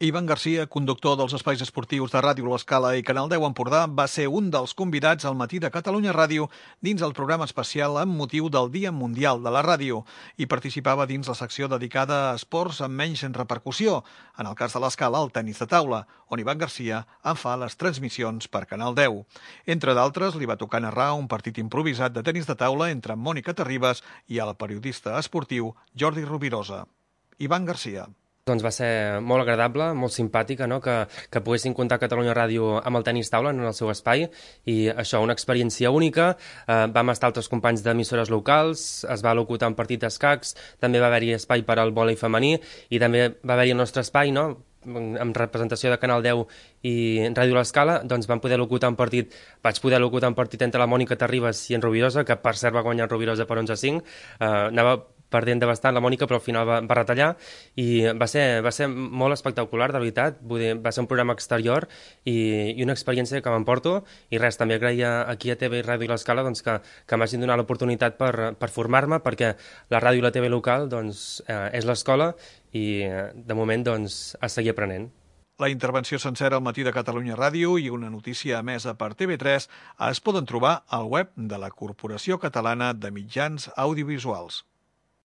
Ivan Garcia, conductor dels espais esportius de Ràdio L'Escala i Canal 10 Empordà, va ser un dels convidats al Matí de Catalunya Ràdio dins el programa especial amb motiu del Dia Mundial de la Ràdio i participava dins la secció dedicada a esports amb menys repercussió, en el cas de l'Escala, el tenis de taula, on Ivan Garcia en fa les transmissions per Canal 10. Entre d'altres, li va tocar narrar un partit improvisat de tenis de taula entre Mònica Terribas i el periodista esportiu Jordi Rovirosa. Ivan Garcia. Doncs va ser molt agradable, molt simpàtica, no? que poguessin comptar Catalunya Ràdio amb el tenis taula en el seu espai, i això, una experiència única. Vam estar altres companys d'emissores locals, es va locutar un partit d'escacs, també va haver-hi espai per al vòlei femení, i també va haver-hi el nostre espai, no?, amb representació de Canal 10 i Ràdio L'Escala, doncs vaig poder locutar un partit entre la Mònica Terribas i en Rovirosa, que per cert va guanyar en Rovirosa per 11-5, anava perdent de bastant la Mònica, però al final va retallar, i va ser molt espectacular, de veritat. Vull dir, va ser un programa exterior i una experiència que m'emporto, i res, també agrair aquí a TV i Ràdio L'Escala doncs, que m'hagin donat l'oportunitat per formar-me, perquè la ràdio i la TV local doncs, és l'escola, i de moment doncs, a seguir aprenent. La intervenció sencera al Matí de Catalunya Ràdio i una notícia emesa per TV3 es poden trobar al web de la Corporació Catalana de Mitjans Audiovisuals.